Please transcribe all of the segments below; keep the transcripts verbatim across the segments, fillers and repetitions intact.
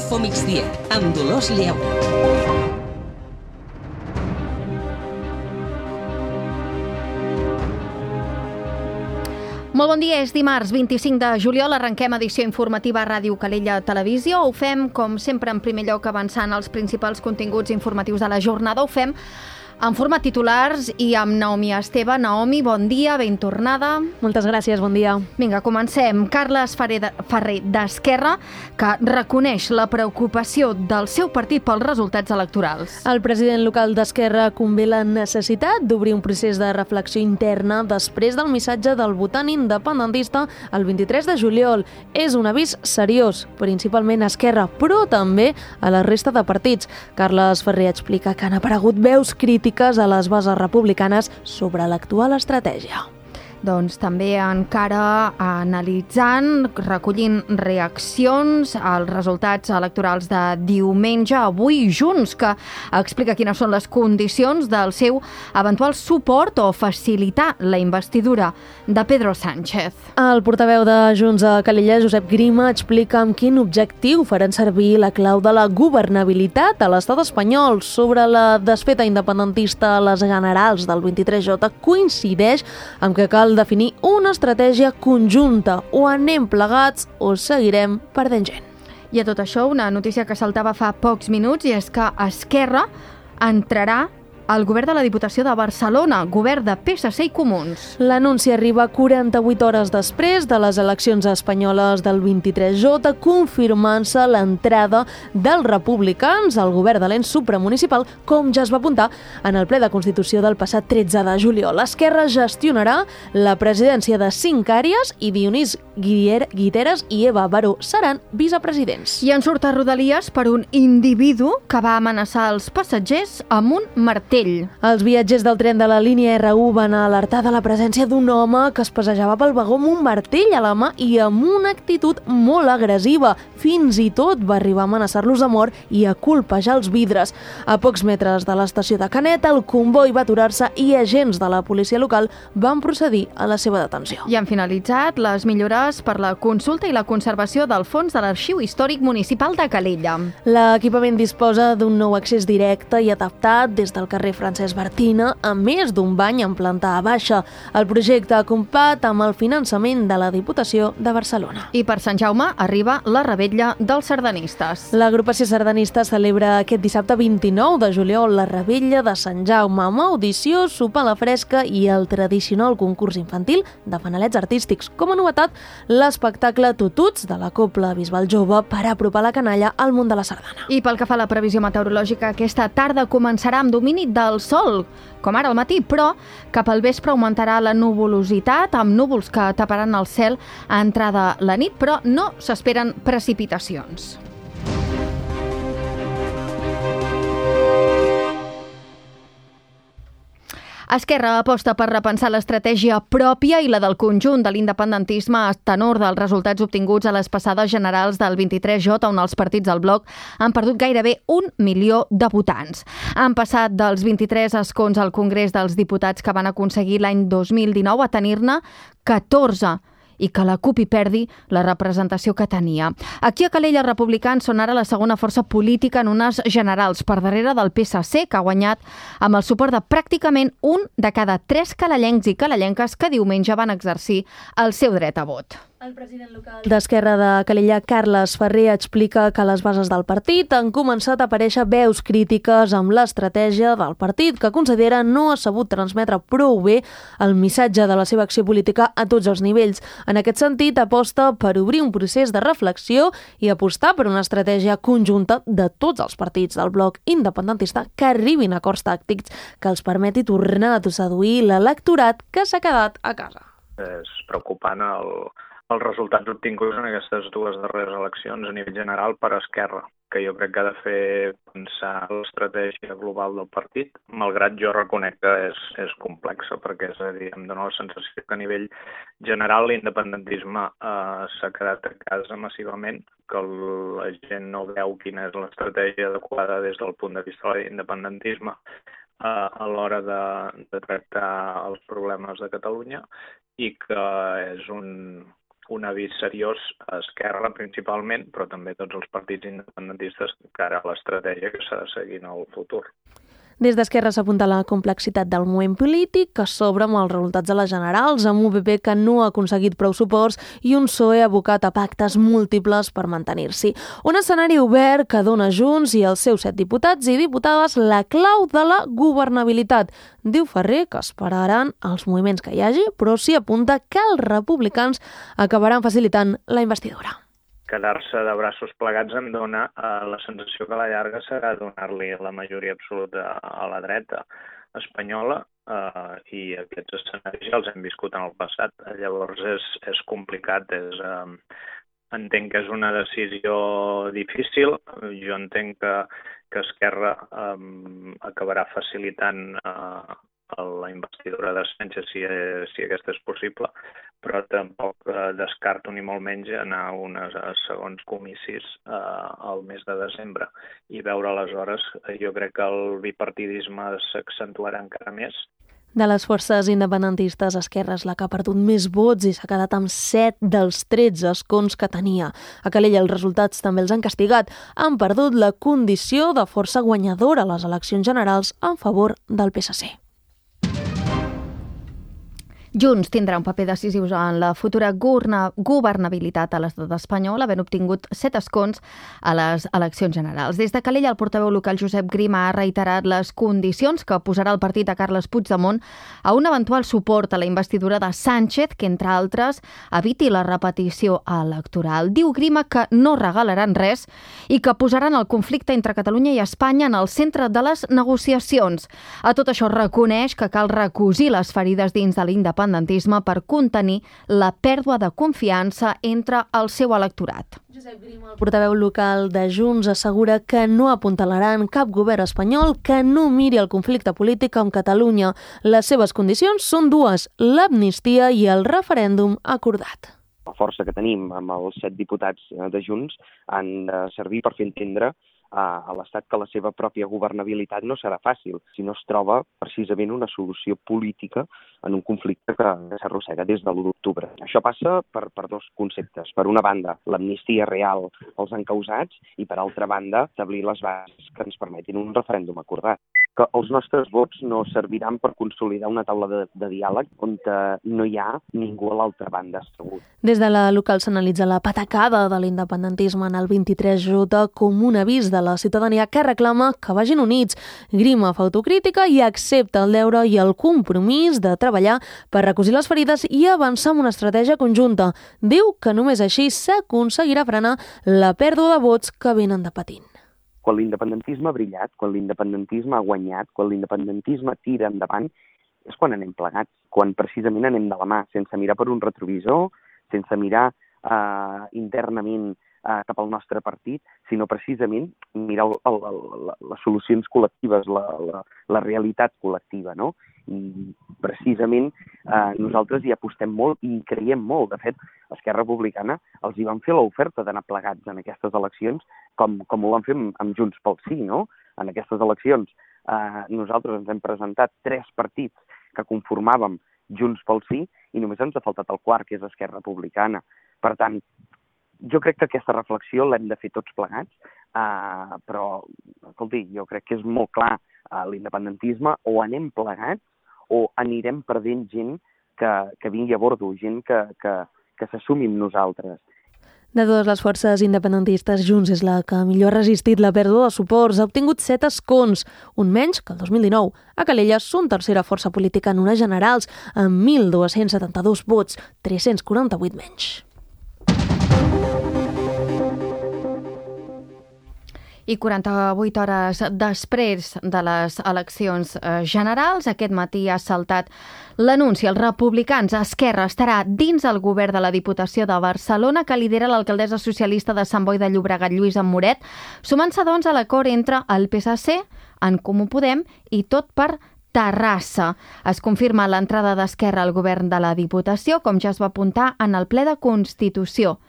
Info Migdia, amb Dolors Lleu. Molt bon dia, és dimarts vint-i-cinc de juliol, arrenquem edició informativa a Ràdio Calella Televisió. Ho fem, com sempre, en primer lloc avançant els principals continguts informatius de la jornada. Ho fem en format titulars i amb Naomi Esteve. Naomi, bon dia, ben tornada. Moltes gràcies, bon dia. Vinga, comencem. Carles Ferrer d'Esquerra, que reconeix la preocupació del seu partit pels resultats electorals. El president local d'Esquerra convé la necessitat d'obrir un procés de reflexió interna després del missatge del votant independentista el vint-i-tres de juliol. És un avís seriós, principalment a Esquerra, però també a la resta de partits. Carles Ferrer explica que han aparegut veus crítiques a les bases republicanes sobre l'actual estratègia. Doncs també encara analitzant, recollint reaccions als resultats electorals de diumenge, avui Junts, que explica quines són les condicions del seu eventual suport o facilitar la investidura de Pedro Sánchez. El portaveu de Junts a Calella, Josep Grima, explica amb quin objectiu faran servir la clau de la governabilitat a l'estat espanyol. Sobre la desfeta independentista a les generals del vint-i-tres J, coincideix amb que cal definir una estratègia conjunta. O anem plegats o seguirem perdent gent. I a tot això, una notícia que saltava fa pocs minuts, i és que Esquerra entrarà al govern de la Diputació de Barcelona, govern de P S C i Comuns. L'anunci arriba quaranta-vuit hores després de les eleccions espanyoles del vint-i-tres J, confirmant-se l'entrada dels republicans al govern de l'ens supramunicipal, com ja es va apuntar en el ple de Constitució del passat tretze de juliol. L'esquerra gestionarà la presidència de cinc àrees i Dionís Guiteras i Eva Baró seran vicepresidents. I en surt a Rodalies per un individu que va amenaçar els passatgers amb un martell. Els viatgers del tren de la línia R u van alertar de la presència d'un home que es passejava pel vagó amb un martell a la mà i amb una actitud molt agressiva. Fins i tot va arribar a amenaçar-los de mort i a colpejar els vidres. A pocs metres de l'estació de Canet, el comboi va aturar-se i agents de la policia local van procedir a la seva detenció. I han finalitzat les millores per la consulta i la conservació del fons de l'Arxiu Històric Municipal de Calella. L'equipament disposa d'un nou accés directe i adaptat des del carrer Francesc Bartina, a més d'un bany en planta baixa. El projecte compat amb el finançament de la Diputació de Barcelona. I per Sant Jaume arriba la revetlla dels sardanistes. L'agrupació sardanista celebra aquest dissabte vint-i-nou de juliol la revetlla de Sant Jaume, amb audició, sopar a la fresca i el tradicional concurs infantil de fanalets artístics. Com a novetat, l'espectacle Tututs de la Cobla Bisbal Jove per apropar la canalla al món de la sardana. I pel que fa a la previsió meteorològica, aquesta tarda començarà amb domini del sol, com ara al matí, però cap al vespre augmentarà la nuvolositat amb núvols que taparan el cel a entrada la nit, però no s'esperen precipitacions. Esquerra aposta per repensar l'estratègia pròpia i la del conjunt de l'independentisme a tenor dels resultats obtinguts a les passades generals del vint-i-tres J, on els partits del bloc han perdut gairebé un milió de votants. Han passat dels vint-i-tres escons al Congrés dels Diputats que van aconseguir l'any dos mil dinou a tenir-ne catorze, i que la CUP hi perdi la representació que tenia. Aquí a Calella els republicans són ara la segona força política en unes generals, per darrere del P S C, que ha guanyat amb el suport de pràcticament un de cada tres calellencs i calellenques que diumenge van exercir el seu dret a vot. El president local d'Esquerra de Calella, Carles Ferrer, explica que a les bases del partit han començat a aparèixer veus crítiques amb l'estratègia del partit, que considera no ha sabut transmetre prou bé el missatge de la seva acció política a tots els nivells. En aquest sentit, aposta per obrir un procés de reflexió i apostar per una estratègia conjunta de tots els partits del bloc independentista que arribin a acords tàctics que els permeti tornar a seduir l'electorat que s'ha quedat a casa. És preocupant el els resultats obtinguts en aquestes dues darreres eleccions a nivell general per Esquerra, que jo crec que ha de fer pensar l'estratègia global del partit, malgrat jo reconec que és, és complexa, perquè és a dir, em dóna la sensació que a nivell general l'independentisme eh, s'ha quedat a casa massivament, que la gent no veu quina és l'estratègia adequada des del punt de vista de l'independentisme eh, a l'hora de, de tractar els problemes de Catalunya, i que és un... un avís seriós a Esquerra principalment, però també a tots els partits independentistes cara a l'estratègia que s'ha de seguir en el futur. Des d'Esquerra s'apunta la complexitat del moviment polític que s'obre amb els resultats de les generals, amb un P P que no ha aconseguit prou suports i un P S O E abocat a pactes múltiples per mantenir-s'hi. Un escenari obert que dona Junts i els seus set diputats i diputades la clau de la governabilitat. Diu Ferrer que esperaran els moviments que hi hagi, però s'hi apunta que els republicans acabaran facilitant la investidura. Quedar-se de braços plegats em dona eh, la sensació que a la llarga serà donar-li la majoria absoluta a la dreta espanyola eh, i aquests escenaris ja els hem viscut en el passat. Llavors és, és complicat, és, eh, entenc que és una decisió difícil. Jo entenc que, que Esquerra eh, acabarà facilitant eh, la investidura de Sánchez si, si aquesta és possible, però tampoc eh, descarto ni molt menys anar a uns segons comicis eh, al mes de desembre i veure aleshores, jo crec que el bipartidisme s'accentuarà encara més. De les forces independentistes, Esquerra és la que ha perdut més vots i s'ha quedat amb set dels tretze escons que tenia. A Calella els resultats també els han castigat. Han perdut la condició de força guanyadora a les eleccions generals en favor del P S C. Junts tindrà un paper decisiu en la futura governabilitat a l'estat espanyol, havent obtingut set escons a les eleccions generals. Des de Calella, el portaveu local Josep Grima ha reiterat les condicions que posarà el partit a Carles Puigdemont a un eventual suport a la investidura de Sánchez, que, entre altres, eviti la repetició electoral. Diu Grima que no regalaran res i que posaran el conflicte entre Catalunya i Espanya en el centre de les negociacions. A tot això reconeix que cal recosir les ferides dins de l'independentisme per contenir la pèrdua de confiança entre el seu electorat. Josep Grima, el portaveu local de Junts, assegura que no apuntalaran cap govern espanyol que no miri el conflicte polític amb Catalunya. Les seves condicions són dues, l'amnistia i el referèndum acordat. La força que tenim amb els set diputats de Junts han de servir per fer entendre a l'Estat que la seva pròpia governabilitat no serà fàcil si no es troba precisament una solució política en un conflicte que s'arrossega des de l'u d'octubre. Això passa per, per dos conceptes. Per una banda, l'amnistia real als encausats i, per altra banda, establir les bases que ens permetin un referèndum acordat. Que els nostres vots no serviran per consolidar una taula de, de diàleg on no hi ha ningú a l'altra banda assegut. Des de la local s'analitza la patacada de l'independentisme en el vint-i-tres J com un avís de la ciutadania que reclama que vagin units. Grima fa autocrítica i accepta el deure i el compromís de treballar per recosir les ferides i avançar amb una estratègia conjunta. Diu que només així s'aconseguirà frenar la pèrdua de vots que venen de patint. Quan l'independentisme ha brillat, quan l'independentisme ha guanyat, quan l'independentisme tira endavant, és quan anem plegats, quan precisament anem de la mà, sense mirar per un retrovisor, sense mirar eh, internament eh, cap al nostre partit, sinó precisament mirar el, el, el, les solucions col·lectives, la, la, la realitat col·lectiva, no? I precisament eh, nosaltres hi apostem molt i hi creiem molt. De fet, Esquerra Republicana els hi van fer l'oferta d'anar plegats en aquestes eleccions, com, com ho van fer amb, amb Junts pel Sí, no? En aquestes eleccions eh, nosaltres ens hem presentat tres partits que conformàvem Junts pel Sí i només ens ha faltat el quart, que és Esquerra Republicana. Per tant, jo crec que aquesta reflexió l'hem de fer tots plegats, eh, però, escolti, jo crec que és molt clar, eh, l'independentisme o anem plegats o anirem perdent gent que, que vingui a bordo, gent que, que, que s'assumi amb nosaltres. De totes les forces independentistes, Junts és la que millor ha resistit la pèrdua de suports. Ha obtingut set escons, un menys que el dos mil dinou. A Calella són tercera força política en unes generals, amb mil dos-cents setanta-dos vots, tres-cents quaranta-vuit menys. I quaranta-vuit hores després de les eleccions generals, aquest matí ha saltat l'anunci. Els republicans, Esquerra, estarà dins el govern de la Diputació de Barcelona, que lidera l'alcaldessa socialista de Sant Boi de Llobregat, Lluïsa Moret, sumant-se doncs a l'acord entre el P S C, En Comú Podem i Tot per Terrassa. Es confirma l'entrada d'Esquerra al govern de la Diputació, com ja es va apuntar en el ple de Constitució.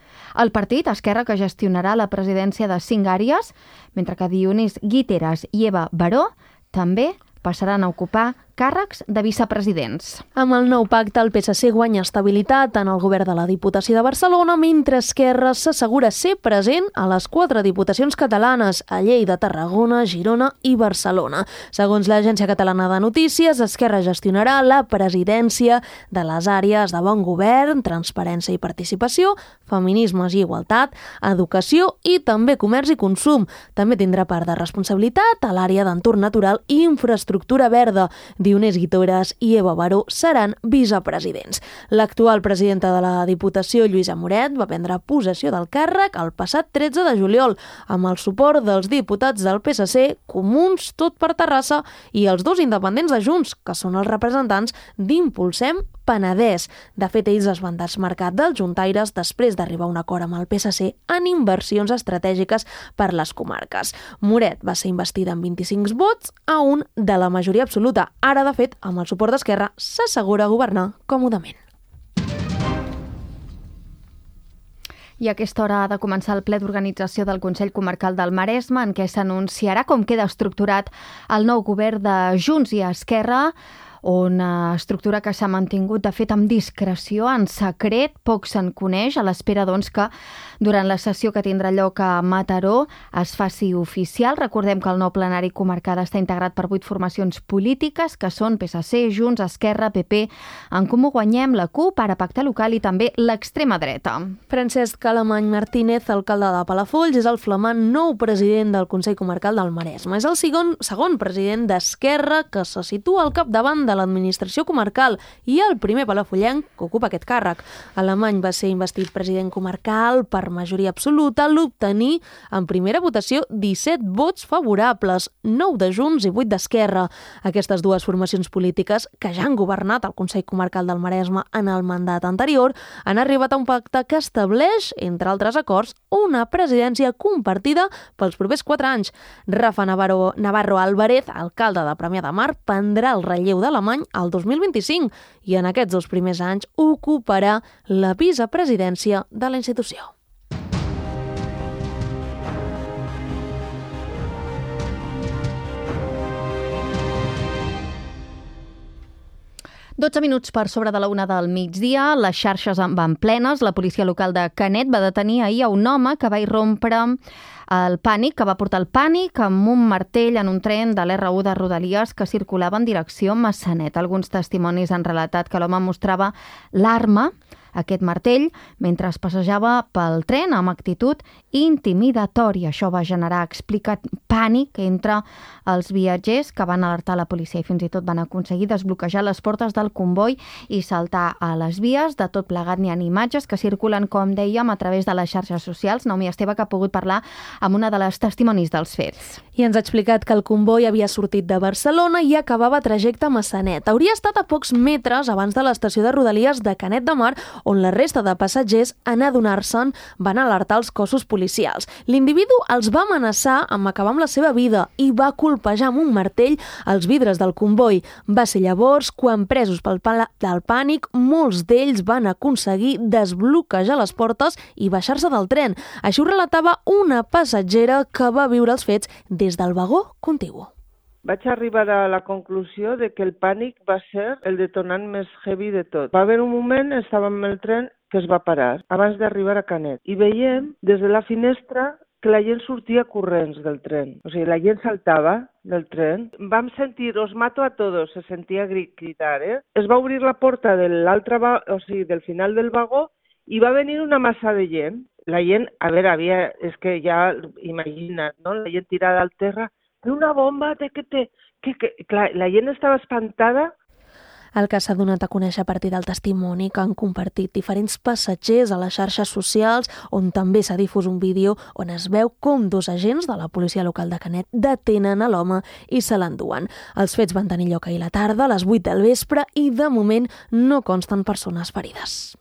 El partit, Esquerra, que gestionarà la presidència de cinc àrees, mentre que Dionís Guiteras i Eva Baró també passaran a ocupar càrrecs de vicepresidents. Amb el nou pacte, el P S C guanya estabilitat en el govern de la Diputació de Barcelona, mentre Esquerra s'assegura ser present a les quatre diputacions catalanes, a Lleida, Tarragona, Girona i Barcelona. Segons l'Agència Catalana de Notícies, Esquerra gestionarà la presidència de les àrees de bon govern, transparència i participació, feminismes i igualtat, educació i també comerç i consum. També tindrà part de responsabilitat a l'àrea d'entorn natural i infraestructura verda. Dionís Guitores i Eva Baró seran vicepresidents. L'actual presidenta de la Diputació, Lluïsa Moret, va prendre possessió del càrrec el passat tretze de juliol, amb el suport dels diputats del P S C, Comuns, Tot per Terrassa i els dos independents de Junts, que són els representants d'Impulsem Penedès. De fet, ells es van desmarcar dels juntaires després d'arribar a un acord amb el P S C en inversions estratègiques per les comarques. Moret va ser investida amb vint-i-cinc vots a un de la majoria absoluta. Ara, de fet, amb el suport d'Esquerra, s'assegura governar còmodament. I a aquesta hora ha de començar el ple d'organització del Consell Comarcal del Maresme, en què s'anunciarà com queda estructurat el nou govern de Junts i Esquerra, una estructura que s'ha mantingut, de fet, amb discreció, en secret, poc se'n coneix, a l'espera doncs, que durant la sessió que tindrà lloc a Mataró es faci oficial. Recordem que el nou plenari comarcal està integrat per vuit formacions polítiques, que són P S C, Junts, Esquerra, P P, En Comú Guanyem, la CUP, Ara Pacte Local i també l'extrema dreta. Francesc Alemany Martínez, alcalde de Palafolls, és el flamant nou president del Consell Comarcal del Maresme. És el segon, segon president d'Esquerra que se situa al capdavant de l'administració comarcal i el primer palafollenc que ocupa aquest càrrec. Alemany va ser investit president comarcal per majoria absoluta al obtenir en primera votació disset vots favorables, nou de Junts i vuit d'Esquerra. Aquestes dues formacions polítiques, que ja han governat el Consell Comarcal del Maresme en el mandat anterior, han arribat a un pacte que estableix, entre altres acords, una presidència compartida pels propers quatre anys. Rafa Navarro, Navarro Álvarez, alcalde de Premià de Mar, prendrà el relleu d'Alemany al dos mil vint-i-cinc i en aquests dos primers anys ocuparà la vicepresidència de la institució. dotze minuts per sobre de la una del migdia, les xarxes van plenes. La policia local de Canet va detenir ahir a un home que va irrompre el pànic, que va portar el pànic amb un martell en un tren de l'R u de Rodalies que circulava en direcció Massanet. Alguns testimonis han relatat que l'home mostrava l'arma, aquest martell, mentre es passejava pel tren amb actitud intimidatòria. Això va generar, explicat, pànic entre els viatgers, que van alertar la policia i fins i tot van aconseguir desbloquejar les portes del comboi i saltar a les vies. De tot plegat n'hi ha imatges que circulen, com dèiem, a través de les xarxes socials. Naomi Esteve, que ha pogut parlar amb una de les testimonis dels fets. I ens ha explicat que el comboi havia sortit de Barcelona i acabava trajecte a Massanet. Hauria estat a pocs metres abans de l'estació de Rodalies de Canet de Mar, on la resta de passatgers, en adonar-se'n, van alertar els cossos policials. L'individu els va amenaçar amb acabar amb la seva vida i va colpejar amb un martell els vidres del comboi. Va ser llavors quan, presos pel del pànic, molts d'ells van aconseguir desbloquejar les portes i baixar-se del tren. Això ho relatava una passatgera que va viure els fets des del vagó contigu. Vaig arribar a la conclusió de que el pànic va ser el detonant més heavy de tot. Va haver un moment, estàvem en el tren, que es va parar, abans d'arribar a Canet. I veiem, des de la finestra, que la gent sortia corrents del tren. O sigui, la gent saltava del tren. Vam sentir, os mato a todos, se sentia gritar, eh? Es va obrir la porta de l'altre, o sigui, del final del vagó, i va venir una massa de gent. La gent, a veure, havia, és que ja, imagina't, no? La gent tirada al terra, una bomba, té que té... Que, que, clar, la gent estava espantada. El que s'ha donat a conèixer a partir del testimoni que han compartit diferents passatgers a les xarxes socials, on també s'ha difús un vídeo on es veu com dos agents de la policia local de Canet detenen a l'home i se l'enduen. Els fets van tenir lloc ahir a la tarda, a les vuit del vespre, i de moment no consten persones ferides.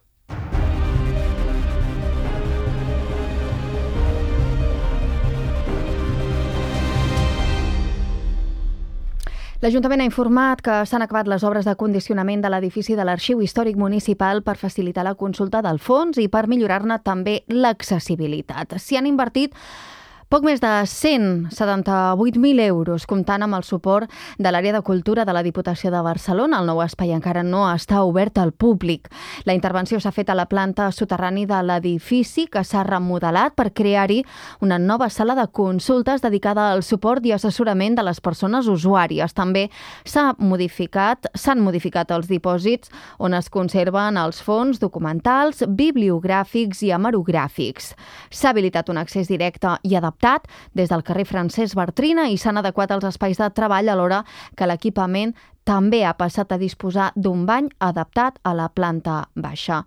L'Ajuntament ha informat que s'han acabat les obres de condicionament de l'edifici de l'Arxiu Històric Municipal per facilitar la consulta del fons i per millorar-ne també l'accessibilitat. S'hi han invertit Poc més de cent setanta-vuit mil euros, comptant amb el suport de l'àrea de cultura de la Diputació de Barcelona. El nou espai encara no està obert al públic. La intervenció s'ha fet a la planta soterrani de l'edifici, que s'ha remodelat per crear-hi una nova sala de consultes dedicada al suport i assessorament de les persones usuàries. També s'ha modificat, s'han modificat els dipòsits on es conserven els fons documentals, bibliogràfics i hemerogràfics. S'ha habilitat un accés directe i adaptat des del carrer Francesc Bartrina i s'han adequat els espais de treball alhora que l'equipament també ha passat a disposar d'un bany adaptat a la planta baixa.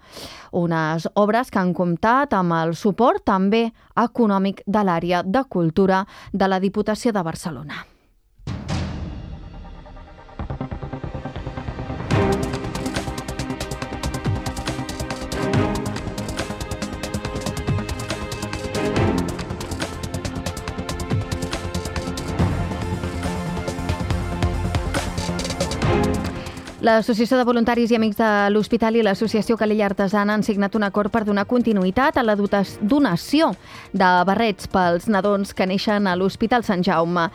Unes obres que han comptat amb el suport també econòmic de l'àrea de cultura de la Diputació de Barcelona. L'Associació de Voluntaris i Amics de l'Hospital i l'Associació Calella Artesana han signat un acord per donar continuïtat a la donació de barrets pels nadons que neixen a l'Hospital Sant Jaume.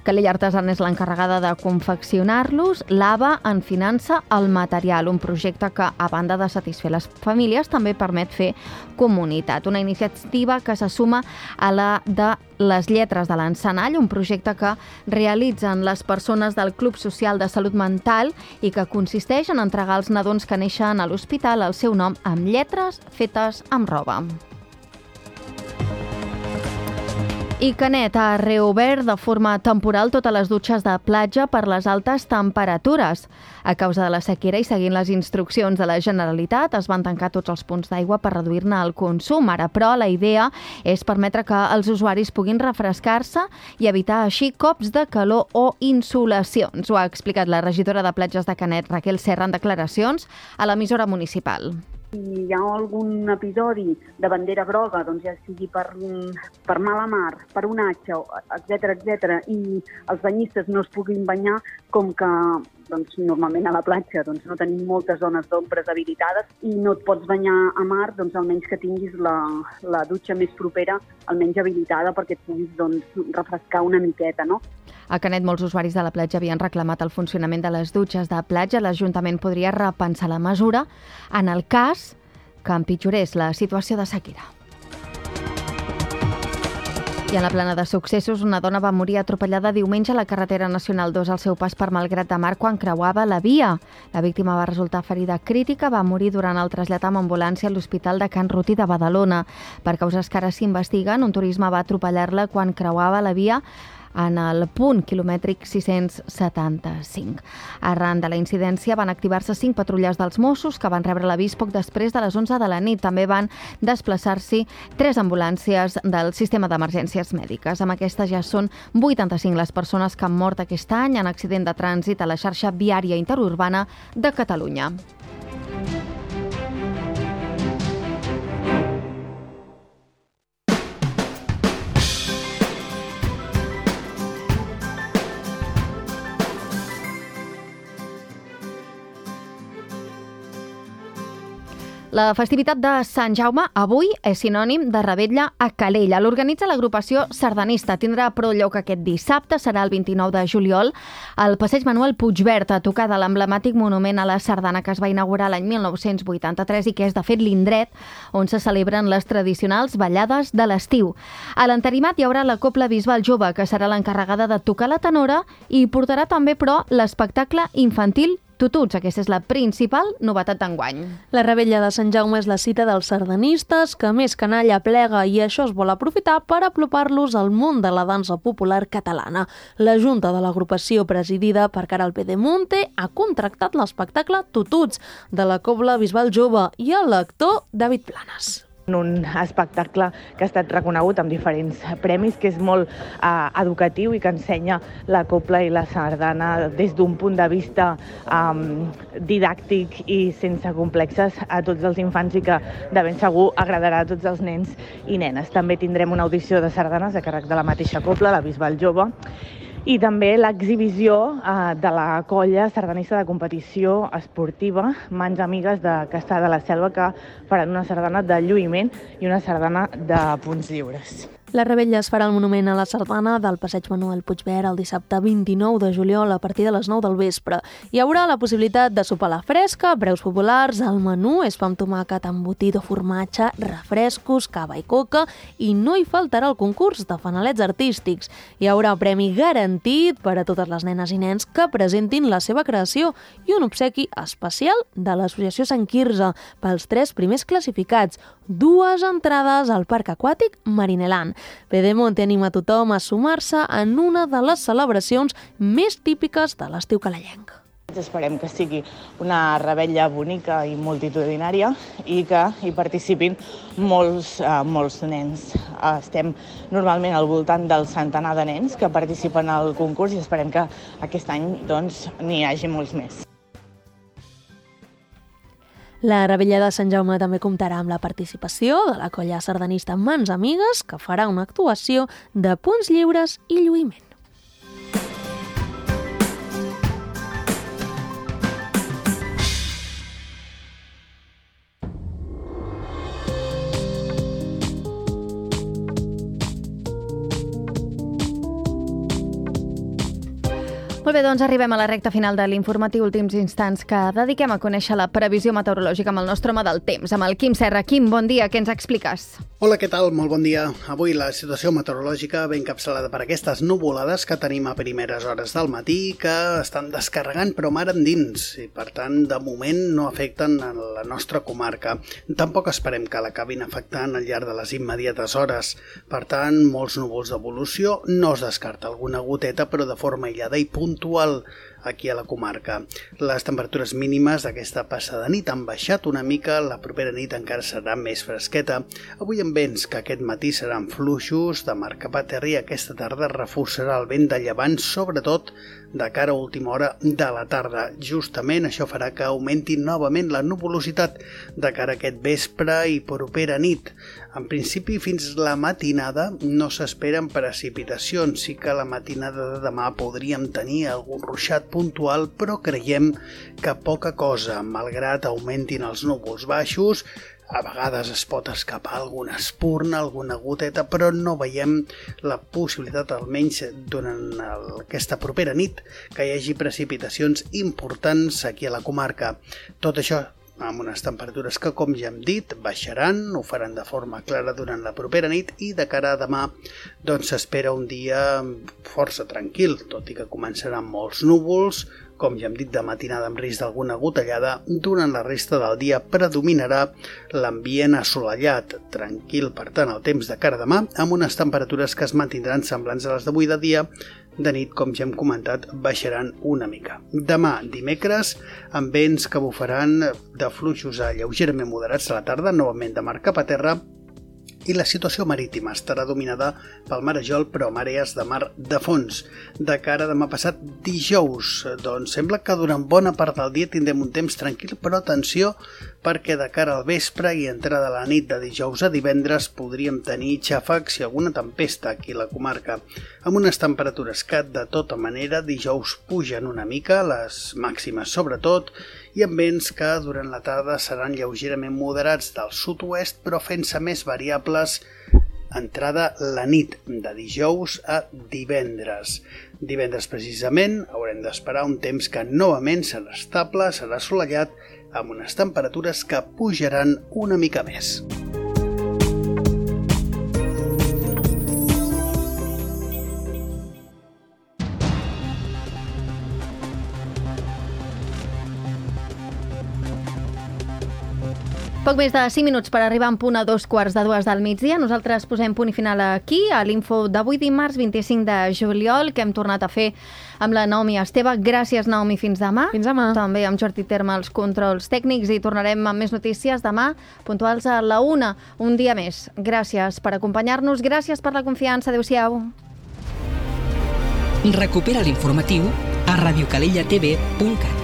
Calella Artesana és l'encarregada de confeccionar-los. L'A B A en finança el material, un projecte que, a banda de satisfer les famílies, també permet fer comunitat. Una iniciativa que se suma a la de les lletres de l'encenall, un projecte que realitzen les persones del Club Social de Salut Mental i que consisteix en entregar als nadons que neixen a l'hospital el seu nom amb lletres fetes amb roba. I Canet ha reobert de forma temporal totes les dutxes de platja per les altes temperatures. A causa de la sequera i seguint les instruccions de la Generalitat, es van tancar tots els punts d'aigua per reduir-ne el consum. Ara, però, la idea és permetre que els usuaris puguin refrescar-se i evitar així cops de calor o insolacions. Ho ha explicat la regidora de platges de Canet, Raquel Serra, en declaracions a l'emissora municipal. Si hi ha algun episodi de bandera groga, doncs ja sigui per, per mala mar, per onatge, etcètera, etcètera, i els banyistes no es puguin banyar, com que doncs, normalment a la platja doncs, no tenim moltes zones d'ombres habilitades i no et pots banyar a mar, doncs almenys que tinguis la, la dutxa més propera, almenys habilitada, perquè et puguis doncs, refrescar una miqueta, no? A Canet, molts usuaris de la platja havien reclamat el funcionament de les dutxes de platja. L'Ajuntament podria repensar la mesura en el cas que empitjorés la situació de sequera. I en la plana de successos, una dona va morir atropellada diumenge a la carretera nacional dos al seu pas per Malgrat de Mar quan creuava la via. La víctima va resultar ferida crítica, va morir durant el trasllat amb ambulància a l'Hospital de Can Ruti de Badalona. Per causes que ara s'investiguen, un turisme va atropellar-la quan creuava la via en el punt quilomètric sis-cents setanta-cinc. Arran de la incidència van activar-se cinc patrulles dels Mossos que van rebre l'avís poc després de les onze de la nit. També van desplaçar-s'hi tres ambulàncies del sistema d'emergències mèdiques. Amb aquestes ja són vuitanta-cinc les persones que han mort aquest any en accident de trànsit a la xarxa viària interurbana de Catalunya. La festivitat de Sant Jaume avui és sinònim de revetlla a Calella. L'organitza l'agrupació sardanista. Tindrà però lloc aquest dissabte, serà el vint-i-nou de juliol, al passeig Manuel Puigverd, a tocar de l'emblemàtic monument a la sardana que es va inaugurar l'any mil nou-cents vuitanta-tres i que és, de fet, l'indret on se celebren les tradicionals ballades de l'estiu. A l'entarimat hi haurà la Cobla Bisbal Jove, que serà l'encarregada de tocar la tenora i portarà també, però, l'espectacle infantil Tututs. Aquesta és la principal novetat d'enguany. La revetlla de Sant Jaume és la cita dels sardanistes, que més canalla plega, i això es vol aprofitar per apropar-los al món de la dansa popular catalana. La Junta de l'agrupació, presidida per Caral Pedemonte, ha contractat l'espectacle Tututs de la Cobla Bisbal Jove i el lector David Planes. Un espectacle que ha estat reconegut amb diferents premis, que és molt eh, educatiu i que ensenya la cobla i la sardana des d'un punt de vista eh, didàctic i sense complexes a tots els infants i que de ben segur agradarà a tots els nens i nenes. També tindrem una audició de sardanes a càrrec de la mateixa cobla, la Bisbal Jove, i també l'exhibició eh, de la colla sardanista de competició esportiva Mans Amigues de Castellar de la Selva, que faran una sardana de lluïment i una sardana de punts lliures. La revetlla es farà al Monument a la Sardana del Passeig Manuel Puigverd el dissabte vint-i-nou de juliol a partir de les nou del vespre. Hi haurà la possibilitat de sopar a la fresca, preus populars, el menú és pa amb tomàquet, embotit o formatge, refrescos, cava i coca, i no hi faltarà el concurs de fanalets artístics. Hi haurà premi garantit per a totes les nenes i nens que presentin la seva creació i un obsequi especial de l'Associació Sant Quirze pels tres primers classificats, dues entrades al Parc Aquàtic Marineland. Pedemonte anima a tothom a sumar-se en una de les celebracions més típiques de l'estiu calellenc. Esperem que sigui una revetlla bonica i multitudinària i que hi participin molts, uh, molts nens. Uh, estem normalment al voltant del centenar de nens que participen al concurs i esperem que aquest any doncs, n'hi hagi molts més. La revetlla de Sant Jaume també comptarà amb la participació de la colla sardanista Mans Amigues, que farà una actuació de punts lliures i lluïment. Molt bé, doncs arribem a la recta final de l'informatiu Últims Instants que dediquem a conèixer la previsió meteorològica amb el nostre home del temps, amb el Quim Serra. Quim, bon dia, què ens expliques? Hola, què tal? Molt bon dia. Avui la situació meteorològica ve encapçalada per aquestes nuvolades que tenim a primeres hores del matí que estan descarregant però mar endins i per tant de moment no afecten a la nostra comarca. Tampoc esperem que l'acabin afectant al llarg de les immediates hores. Per tant, molts núvols d'evolució, no es descarta alguna goteta però de forma aïllada i puntual aquí a la comarca. Les temperatures mínimes d'aquesta passada nit han baixat una mica, la propera nit encara serà més fresqueta. Avui amb vents que aquest matí seran fluixos, de mar cap a terra i aquesta tarda reforçarà el vent de llevant, sobretot de cara a última hora de la tarda. Justament això farà que augmenti novament la nuvolositat de cara a aquest vespre i propera nit. En principi, fins la matinada no s'esperen precipitacions. Sí que la matinada de demà podríem tenir algun ruixat puntual, però creiem que poca cosa, malgrat augmentin els núvols baixos. A vegades es pot escapar alguna espurna, alguna goteta, però no veiem la possibilitat, almenys durant el, aquesta propera nit, que hi hagi precipitacions importants aquí a la comarca. Tot això amb unes temperatures que, com ja hem dit, baixaran, ho faran de forma clara durant la propera nit i de cara a demà doncs s'espera un dia força tranquil, tot i que començaran molts núvols, com ja hem dit, de matinada amb risc d'alguna gotellada. Durant la resta del dia predominarà l'ambient assolellat, tranquil, per tant, el temps de cara a demà, amb unes temperatures que es mantindran semblants a les d'avui de dia. De nit, com ja hem comentat, baixaran una mica. Demà, dimecres, amb vents que bufaran de fluixos a lleugerament moderats a la tarda, novament de mar cap a terra, i la situació marítima estarà dominada pel marejol però marees de mar de fons. De cara a demà passat dijous, doncs sembla que durant bona part del dia tindrem un temps tranquil, però atenció perquè de cara al vespre i entrada a la nit de dijous a divendres podríem tenir xàfecs i alguna tempesta aquí a la comarca, amb unes temperatures que de tota manera dijous pugen una mica, les màximes sobretot, i amb vents que durant la tarda seran lleugerament moderats del sud-oest però fent-se més variables entrada la nit de dijous a divendres. Divendres precisament haurem d'esperar un temps que novament serà estable, serà assolellat, amb unes temperatures que pujaran una mica més. Poc més de cinc minuts per arribar en punt a dos quarts de dues del migdia. Nosaltres posem punt i final aquí, a l'info d'avui dimarts vint-i-cinc de juliol, que hem tornat a fer amb la Naomi Esteve. Gràcies, Naomi, fins demà. Fins demà. També amb Jordi Terme als controls tècnics i tornarem amb més notícies demà, puntuals a la una, un dia més. Gràcies per acompanyar-nos, gràcies per la confiança. Adéu-siau. Recupera l'informatiu a radiocalellatv punt cat.